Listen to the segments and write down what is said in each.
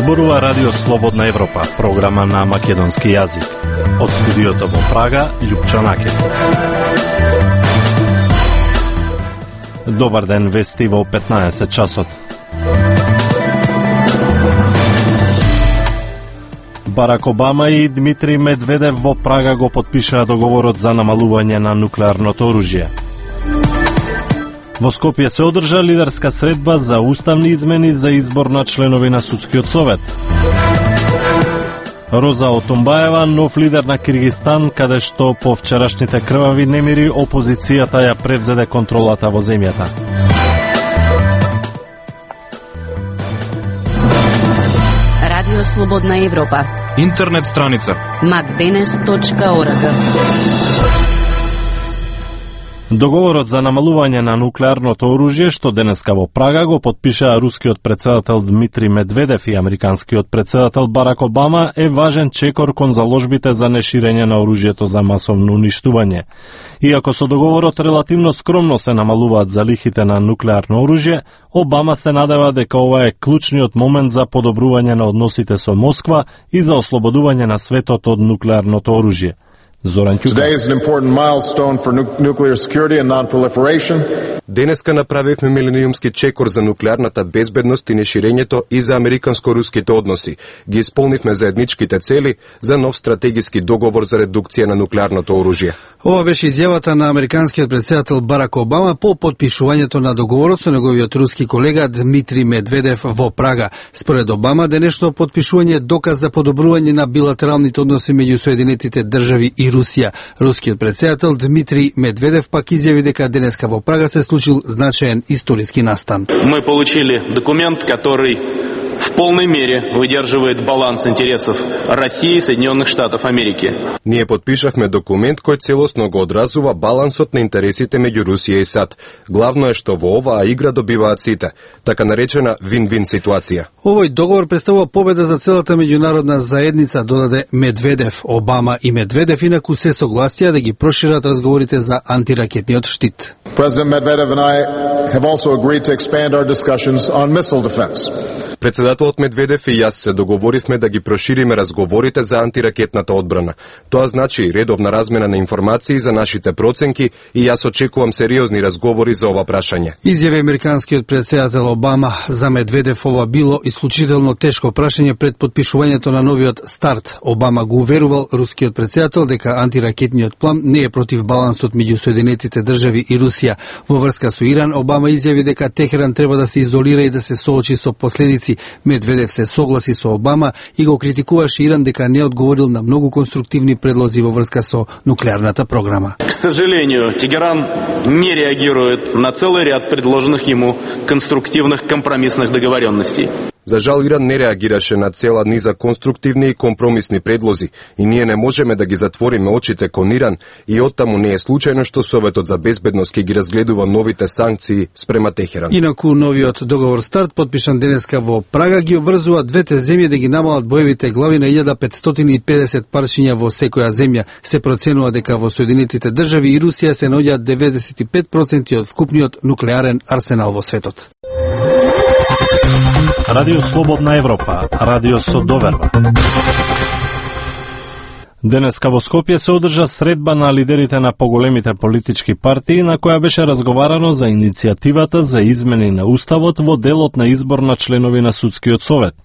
Зборува Радио Слободна Европа, програма на македонски јазик. Од студиото во Прага, Љупчо Накет. Добар ден, вести во 15 часот. Барак Обама и Дмитрий Медведев во Прага го потпишаа договорот за намалување на нуклеарното оружје. Во Скопје се одржа лидерска средба за уставни измени за избор на членови на Судскиот совет. Роза Отумбаева, нов лидер на Киргизстан, каде што по вчерашните крвави немири опозицијата ја превзеде контролата во земјата. Радио Слободна Европа. Интернет страница macdenes.org. Договорот за намалување на нуклеарното оружје, што денеска во Прага го потпишаа рускиот председател Дмитрий Медведев и американскиот председател Барак Обама, е важен чекор кон заложбите за неширење на оружјето за масовно уништување. Иако со договорот релативно скромно се намалуваат залихите на нуклеарно оружје, Обама се надева дека ова е клучниот момент за подобрување на односите со Москва и за ослободување на светот од нуклеарното оружје. Today is an important milestone for nuclear security and non-proliferation. Денеска направивме милениумски чекор за нуклеарната безбедност и неширењето и за американско-руските односи. Ги исполнивме заедничките цели за нов стратегиски договор за редукција на нуклеарното оружје. Ова беше изјавата на американскиот председател Барак Обама по потпишувањето на договорот со неговиот руски колега Дмитрий Медведев во Прага. Според Обама, денешно потпишување е доказ за подобрување на билатералните односи меѓу Соединетите држави и Русија. Рускиот председател Дмитрий Медведев пак изјави дека денеска во Прага се случил значаен историски настан. Мы получили документ, который в полной мере выдерживает баланс интересов России и Соединенных Штатов Америки. Ние подпишавме документ кој целосно го одразува балансот на интересите меѓу Русија и САД. Главно е што во оваа игра добиваат сите, така наречена вин-вин ситуација. Овој договор представува победа за целата меѓународна заедница, додаде Медведев. Обама и Медведев инаку се согласија да ги прошират разговорите за антиракетниот штит. President Medvedev and I have also agreed to expand our discussions on missile defense. Председателот Медведев и јас се договоривме да ги прошириме разговорите за антиракетната одбрана. Тоа значи редовна размена на информации за нашите проценки и јас очекувам сериозни разговори за ова прашање. Изјави американскиот председател Обама. За Медведев ова било исклучително тешко прашање пред потпишувањето на новиот старт. Обама го уверувал рускиот председател дека антиракетниот план не е против балансот меѓу Соединетите држави и Русија. Во врска со Иран, Обама изјави дека Техеран треба да се изолира и да се соочи со последици. Медведев се согласи со Обама и го критикуваше Иран дека не одговорил на многу конструктивни предлози во врска со нуклеарната програма. К сожалению, Тегеран не реагирует на целый ряд предложенных ему конструктивных компромиссных договоренностей. За жал, Иран не реагираше на цела низа конструктивни и компромисни предлози и ние не можеме да ги затвориме очите кон Иран и оттаму не е случајно што Советот за безбедност ги разгледува новите санкции спрема Техеран. Инаку новиот договор старт, подпишан денеска во Прага, ги обврзува двете земји да ги намалат боевите глави на 1550 парчиња во секоја земја. Се проценува дека во Соединетите држави и Русија се наоѓаат 95% од вкупниот нуклеарен арсенал во светот. Радио Слободна Европа, радио со доверба. Денеска во Скопје се одржа средба на лидерите на поголемите политички партии, на која беше разговарано за иницијативата за измени на уставот во делот на избор на членови на Судскиот совет.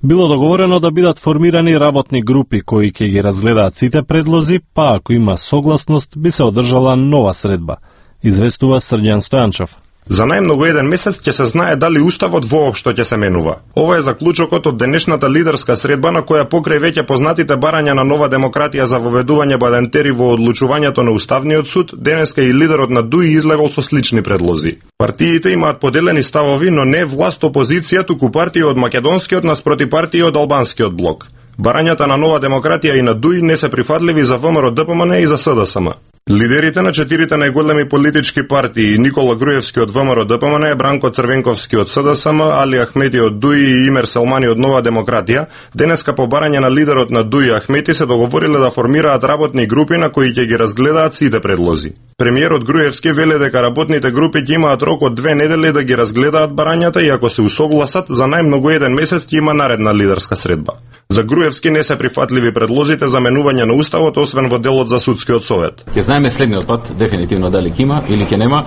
Било договорено да бидат формирани работни групи кои ќе ги разгледаат сите предлози, па ако има согласност би се одржала нова средба. Известува Срđan Стојанчов. За најмногу еден месец ќе се знае дали уставот воопшто ќе се менува. Ова е заклучокот од денешната лидерска средба на која покрај веќе познатите барања на нова демократија за воведување балентери во одлучувањето на Уставниот суд, денеска и лидерот на ДУИ излегол со слични предлози. Партиите имаат поделени ставови, но не власт опозиција, туку партија од македонскиот наспроти партија од албанскиот блок. Барањата на нова демократија и на ДУИ не се прифатливи за ВМРО ДПМН и за СДСМ. Лидерите на 4 најголеми политички партии, Никола Груевски од ВМРО ДПМН, Бранко Црвенковски од СДСМ, Али Ахмети од ДУИ и Имер Селмани од Нова демократија, денеска по барање на лидерот на ДУИ Ахмети се договориле да формираат работни групи на кои ќе ги разгледаат сите предлози. Премиерот Груевски веле дека работните групи ќе имаат рок од 2 недели да ги разгледаат барањата и ако се усогласат, за најмногу 1 месец ќе има наредна лидерска средба. За Груевски не се прифатливи предлозите за менување на уставот, освен во делот за судскиот совет. Ќе знаеме следниот пат дефинитивно дали ќе има или ќе нема,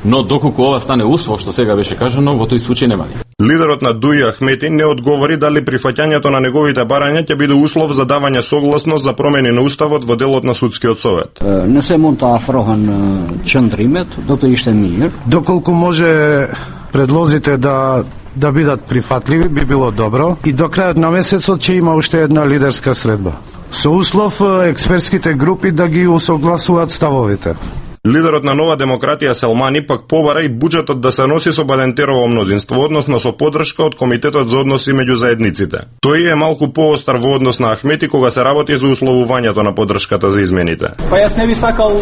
но доколку ова стане услов што сега беше кажано, во тој случај нема. Лидерот на ДУИ Ахмети не одговори дали прифаќањето на неговите барања ќе биде услов за давање согласност за промени на уставот во делот на судскиот совет. Не се мунта афрохан чандримет, дото иште мир. Доколку може предлозите да бидат прифатливи, би било добро и до крајот на месецот ќе има уште една лидерска средба. Со услов експертските групи да ги усогласуваат ставовите. Лидерот на Нова демократија Селмани пак побара и буџетот да се носи со Балентерово мнозинство, односно со поддршка од Комитетот за односи меѓу заедниците. Тој е малку поостар во однос на Ахмети кога се работи за условувањето на поддршката за измените. Па јас не би сакал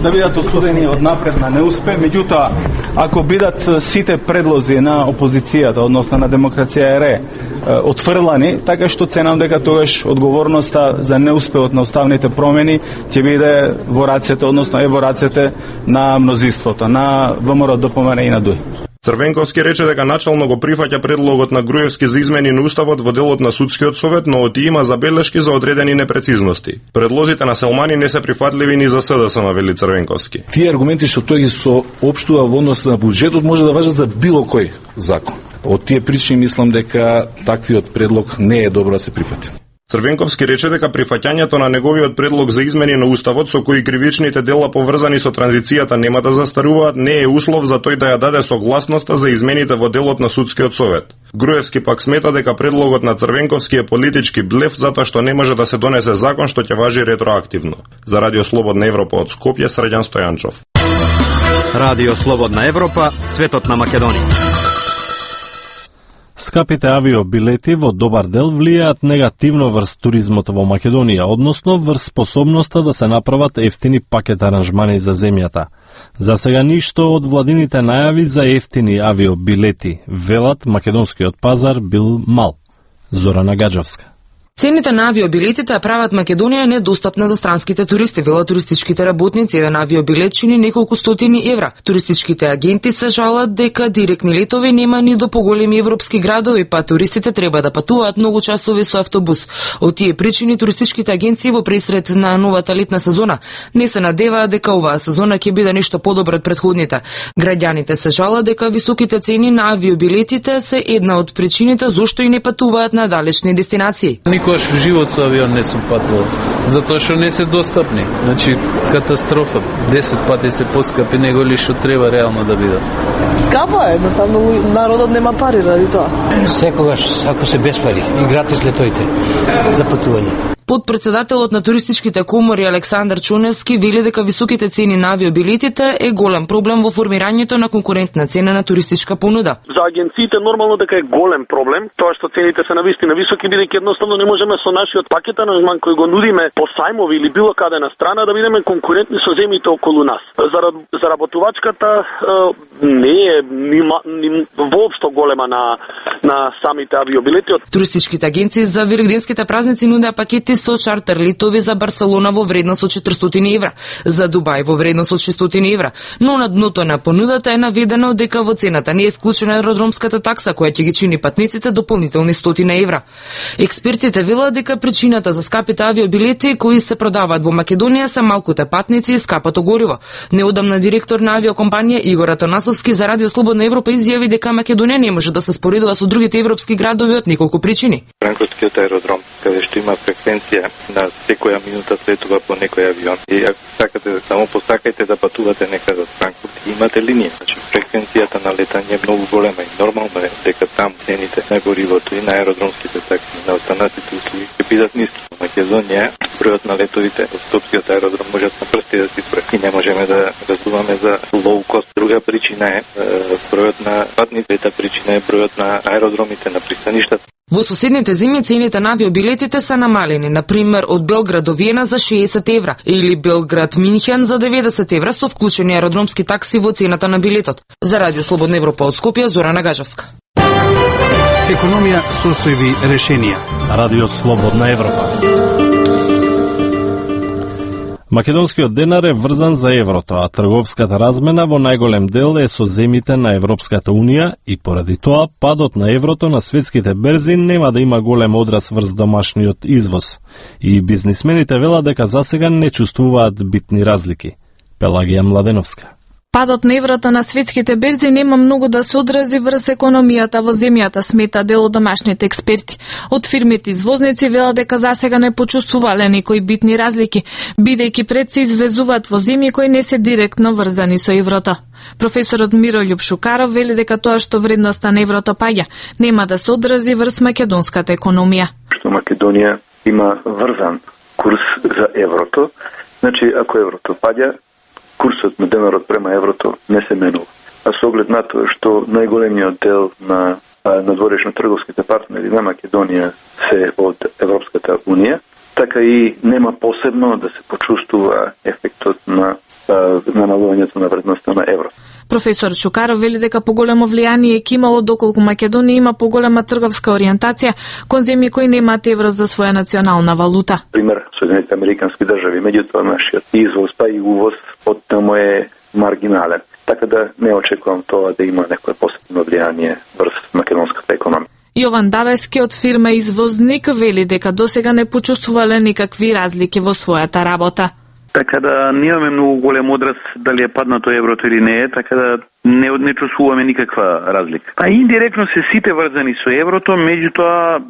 да бидат осудени од напред на неуспех, меѓутоа ако бидат сите предлози на опозицијата, односно на Демокрација ЕРЕ, отфрлани, така што ценам дека тогаш одговорноста за неуспеот на уставните промени ќе биде во рацете, односно е во рацете на мнозинството, на ВМРО ДПМН и на ДУИ. Црвенковски рече дека начално го прифаќа предлогот на Груевски за измени на уставот во делот на судскиот совет, но оти има забелешки за одредени непрецизности. Предлозите на Селмани не се прифатливи ни за СДСМ, вели Црвенковски. Тие аргументи што тој ги соопштува во однос на буџетот може да важат за било кој закон. Од тие причини мислам дека таквиот предлог не е добро да се прифати. Црвенковски рече дека прифаќањето на неговиот предлог за измени на уставот со кои кривичните дела поврзани со транзицијата нема да застаруваат не е услов за тој да ја даде согласноста за измените во делот на судскиот совет. Груевски пак смета дека предлогот на Црвенковски е политички блеф затоа што не може да се донесе закон што ќе важи ретроактивно. За Радио Слободна Европа од Скопје, Срđan Стојанчов. Радио Слободна Европа, светот на Македонија. Скапите авиобилети во добар дел влијаат негативно врз туризмот во Македонија, односно врз способноста да се направат ефтини пакет аранжмани за земјата. За сега ништо од владините најави за ефтини авиобилети, велат македонскиот пазар бил мал. Зорана Гаджовска. Цените на авиобилетите прават Македонија недостапна за странските туристи, велат туристичките работници. Еден авиобилет чини неколку стотини евра. Туристичките агенти се жалат дека директни летови нема ни до поголеми европски градови, па туристите треба да патуваат многу часови со автобус. Од тие причини туристичките агенции во пресред на новата летна сезона не се надеваат дека оваа сезона ќе биде нешто подобро од претходните. Граѓаните се жалат дека високите цени на авиобилетите се една од причините зошто и не патуваат на далечни дестинации. Никош в живот со авион не сум патувал, затоа што не се достапни. Значи, катастрофа. 10 пати се поскапи него ли што треба реално да бидат. Скапо е, едноставно народот нема пари ради тоа. Секогаш, ако се без пари и гратис летоите за патување. Подпредседателот на туристичките комори Александар Чуневски вели дека високите цени на авиобилетите е голем проблем во формирањето на конкурентна цена на туристичка понуда. За агенциите нормално дека е голем проблем, тоа што цените се навистина високи, бидејќи едноставно не можеме со нашиот пакет аранжман кој го нудиме по сајмови или било каде на страна да бидеме конкурентни со земјите околу нас. За работувачката не е ни воопшто голема на самите авиобилети. Туристичките агенции за великденските празници нудеа пакети со чартер летови за Барселона во вредност од 400 евра, за Дубај во вредност од 600 евра, но на дното на понудата е наведено дека во цената не е вклучена аеродромската такса која ќе ги чини патниците дополнителни 100 евра. Експертите велат дека причината за скапите авиобилети кои се продаваат во Македонија се малкуте патници и скапото гориво. Неодамна директор на авиокомпанија Игор Атанасовски за Радио Слободна Европа изјави дека Македонија не може да се споредува со другите европски градови од неколку причини. Франкфуртскиот аеродром, каде што има фреквенција на секоја минута слетува по некој авион. И ако сакате, само посакајте да патувате некаде од Франкфурт, имате линија. Значи, фреквенцијата на летање е многу голема и нормално е дека там цените на горивото и на аеродромските такси, на останатите услуги ќе бидат ниски. Во Македонија бројот на летовите од Скопскиот аеродром можат на прсти да се брои. И не можеме да разбуваме за low cost. Друга причина е бројот на патници, трета причина е бројот на аеродромите на пристаништата. Во соседните земи цените на авиобилетите се намалени, например од Белград до Виена за 60 евра или Белград-Минхен за 90 евра со вклучени аеродромски такси во цената на билетот. За Радио Слободна Европа од Скопје, Зорана Гажевска. Економија, состојби, решенија. Радио Слободна Европа. Македонскиот денар е врзан за еврото, а трговската размена во најголем дел е со земите на Европската Унија и поради тоа падот на еврото на светските берзи нема да има голем одраз врз домашниот извоз. И бизнисмените велат дека засега не чувствуваат битни разлики. Пелагија Младеновска. Падот на еврото на светските берзи нема многу да се одрази врз економијата во земјата, смета дел од домашните експерти. Од фирмите извозници велат дека засега не почувствувале некои битни разлики, бидејќи пред се извезуваат во земји кои не се директно врзани со еврото. Професорот Мирољуб Шукаров вели дека тоа што вредноста на еврото паѓа нема да се одрази врз македонската економија. Што Македонија има врзан курс за еврото, значи ако еврото паѓа, курсот на денарот према еврото не се менува. А со оглед на тоа што најголемиот дел на надворешно-трговските партнери на Македонија се од Европската Унија, така и нема посебно да се почувствува ефектот на намалувањето на вредноста на еврото. Професор Шукаров вели дека поголемо влијание ќе имало доколку Македонија има поголема трговска ориентација кон земји кои немаат евро за своја национална валута. Пример, Соединетите Американски држави, меѓутоа нашиот извоз па и увоз од таму е маргинален. Така да не очекувам тоа да има некое посебно влијание врз македонската економија. Јован Давески од фирма Извозник вели дека досега не почувствувале никакви разлики во својата работа. Така да немаме многу голем одраз дали е паднато еврото или не е, така да не чувствуваме никаква разлика. А индиректно се сите врзани со еврото, меѓутоа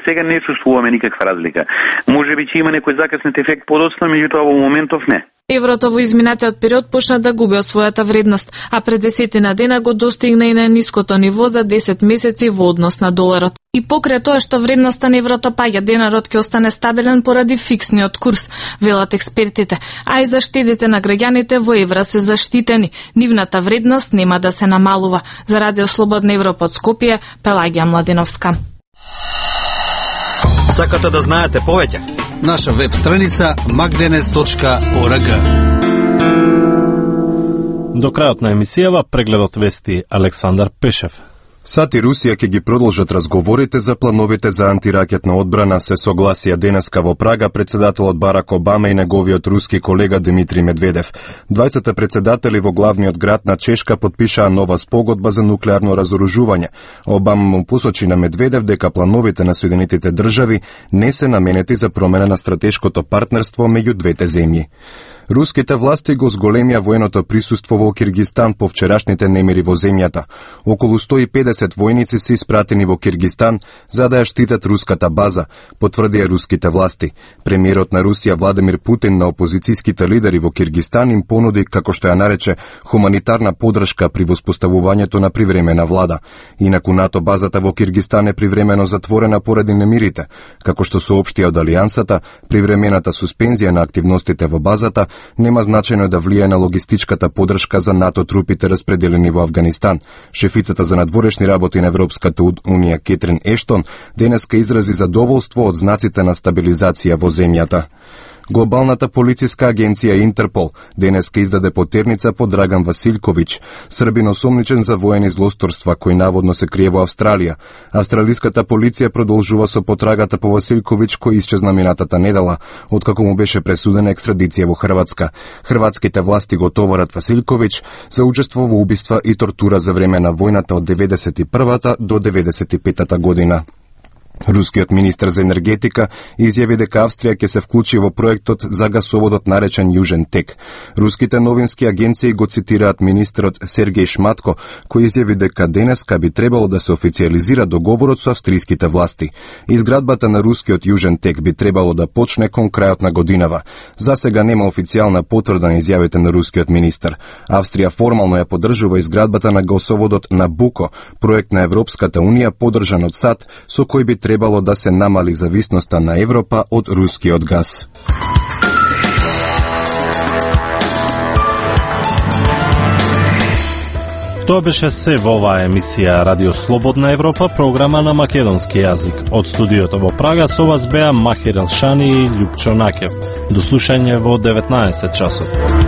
сега не чувствуваме никаква разлика. Можеби ќе има некој закаснет ефект подоцна, меѓутоа во моментов не. Еврото во изминатиот период почна да губи од својата вредност, а пред 10 дена го достигна и на ниското ниво за 10 месеци во однос на доларот. И покрај тоа што вредноста на еврото паѓа, денарот ќе остане стабилен поради фиксниот курс, велат експертите, а и заштедите на граѓаните во евра се заштитени. Нивната вредност нема да се намалува. За Радио Слободна Европа од Скопје, Пелагија Младеновска. Сакате да знаете повеќе? Наша веб страница magdenes.org. До крајот на емисијава прегледот вести Александар Пешев. САД и Русија ќе ги продолжат разговорите за плановите за антиракетна одбрана, се согласија денеска во Прага председателот Барак Обама и неговиот руски колега Дмитрий Медведев. Двајцата председатели во главниот град на Чешка потпишаа нова спогодба за нуклеарно разоружување. Обама му посочи на Медведев дека плановите на Соединетите држави не се наменети за промена на стратешкото партнерство меѓу двете земји. Руските власти го зголемија военото присуство во Киргистан по вчерашните немири во земјата. Околу 150 војници се испратени во Киргистан за да ја штитат руската база, потврдија руските власти. Премиерот на Русија Владимир Путин на опозицијските лидери во Киргистан им понуди, како што ја нарече, хуманитарна подршка при воспоставувањето на привремена влада. Инаку НАТО базата во Киргистан е привремено затворена поради немирите. Како што соопштија од Алијансата, привремената суспензија на активностите во базата нема значајно да влијае на логистичката подршка за НАТО трупите распределени во Авганистан. Шефицата за надворешни работи на Европската Унија Кетрин Ештон денеска изрази задоволство од знаците на стабилизација во земјата. Глобалната полициска агенција Интерпол денеска издаде потерница по Драган Василковиќ, србин осомничен за воени злосторства кој наводно се крие во Австралија. Австралиската полиција продолжува со потрагата по Василковиќ кој исчезна минатата недела, откако му беше пресудена екстрадиција во Хрватска. Хрватските власти го товарат Василковиќ за учество во убиства и тортура за време на војната од 91-та до 95-та година. Рускиот министер за енергетика изјави дека Австрија ќе се вклучи во проектот за гасоводот наречен Јужен Тек. Руските новински агенции го цитираат министерот Сергеј Шматко, кој изјави дека денеска би требало да се официализира договорот со австриските власти. Изградбата на рускиот Јужен Тек би требало да почне кон крајот на годинава. За сега нема официјална потврда на изјавите на рускиот министер. Австрија формално ја поддржува изградбата на гасоводот Набуко, проект на Европската Унија поддржан од САД, со кој би требало да се намали зависноста на Европа од рускиот газ. Тоа беше се во оваа емисија Радио Слободна Европа, програма на македонски јазик. Од студиото во Прага со вас беа Махир Елшани и Љупчо Накев. До слушање во 19 часот.